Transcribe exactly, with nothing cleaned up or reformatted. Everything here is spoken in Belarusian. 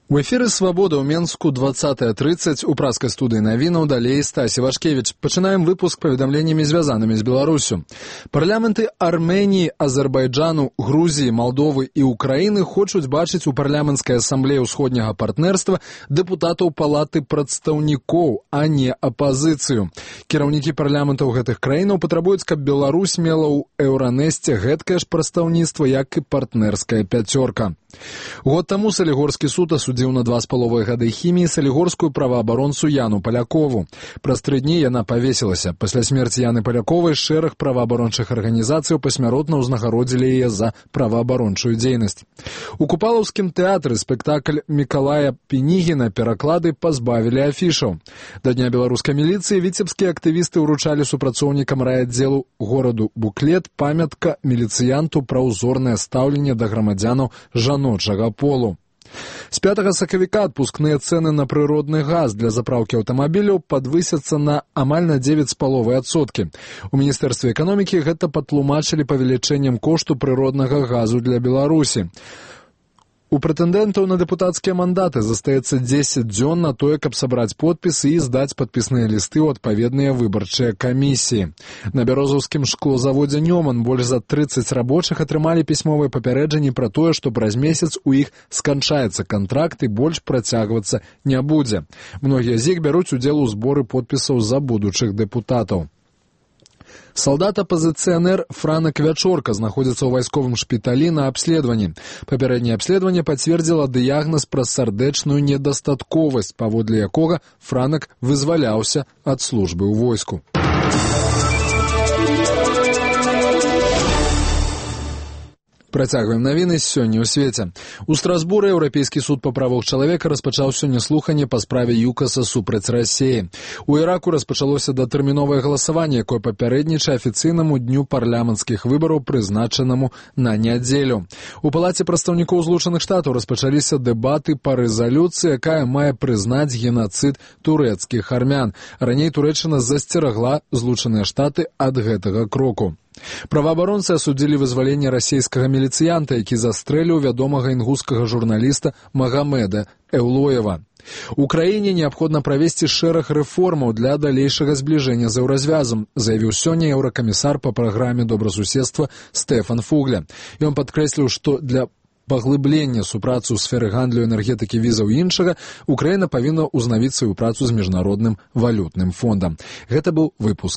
У эфіры «Свабода» ў Менску двадцатая тридцать у праскай студыі навінаў далей Стасі Вашкевіч. Пачынаем выпуск паведамленнямі, звязанымі з Беларусю. Парламенты Арменіі, Азербайджану, Грузіі, Малдовы і Украіны хочуць бачыць у парламенцкай асамблеі ўсходняга партнерства дэпутатаў палаты прадстаўнікоў, а не апазіцыю. Кіраўнікі парламентаў гэтых краінаў патрабуюць, каб Беларусь мела ў Еўранесце гэткае ж прадстаўніцтва, як і партнерская пяцёрка. Год таму Салігорскі суд асудзіў на два з паловай гады хіміі салігорскую праваабаронцу Яну Палякову. Праз тры дні яна павесілася. Пасля смерці Яны Паляковай шэраг праваабарончых арганізацыяў пасмяротна ўзнагародзілі яе за праваабарончую дзейнасць. У Купалаўскім тэатры спектакль Мікалая Пінігіна пераклады пазбавілі афішаў. Да дня беларускай міліцыі віцебскія актывісты ўручалі супрацоўнікам райаддзелу гораду буклет «Памятка міліцыянту пра ўзорнае стаўленне да грамадзянаў жаночага полу». З пятага сакавіка адпускныя цэны на прыродны газ для запраўкі аўтамабіляў падвысяцца на амаль на дзевяць з паловай адсоткі. У Міністэрстве эканомікі гэта патлумачылі павелічэннем кошту прыроднага газу для Беларусі. У прэтэндэнтаў на дэпутацкія мандаты застаецца дзесяць дзён на тое, каб сабраць подпісы і здаць падпісныя лісты ў адпаведныя выбарчыя камісіі. На бярозаўскім шклозаводзе «Нёман» больш за трыццаць рабочых атрымалі пісьмовыя папярэджанні пра тое, што праз месяц у іх сканчаецца кантракт і больш працягвацца не будзе. Многія з іх бяруць удзел у зборы подпісаў за будучых дэпутатаў. Салдат-апазіцыянер Франак Вячорка знаходзіцца ў вайсковым шпіталі на абследаванні. Папярэдняе абследаванне пацвердзіла дыягназ пра сардэчную недастатковасць, паводле якога Франак вызваляўся ад службы ў войску. Працягваем навіны сёння ў свеце. У Страсбуры Еўрапейскі суд па правах чалавека распачаў сёння слуханне па справе ЮКАСа супраць Расіі. У Іраку распачалося датэрміновае галасаванне, якое папярэднічае афіцыйнаму дню парламенцкіх выбараў, прызначанаму на нядзелю. У Палаце прадстаўнікоў Злучаных Штатаў распачаліся дэбаты па рэзалюцыі, якая мае прызнаць генацыд турэцкіх армян. Раней Турэччына засцерагла Злучаныя Штаты ад гэтага кроку. Праваабаронцы асудзілі вызваленне расійскага міліцыянта, які застрэліў вядомага інгускага журналіста Магамеда Эўлоева. У краіне неабходна правесці шэраг рэформаў для далейшага збліжэння з еўразвязам, заявіў сёння еўракамісар па праграме добрасуседства Стэфан Фугля. Ён падкрэсліў, што для паглыблення супрацу ў сферы гандлю, энергетыкі, візаў і іншага Украіна павінна ўзнавіць сваю працу з міжнародным валютным фондам. Гэта быў выпуск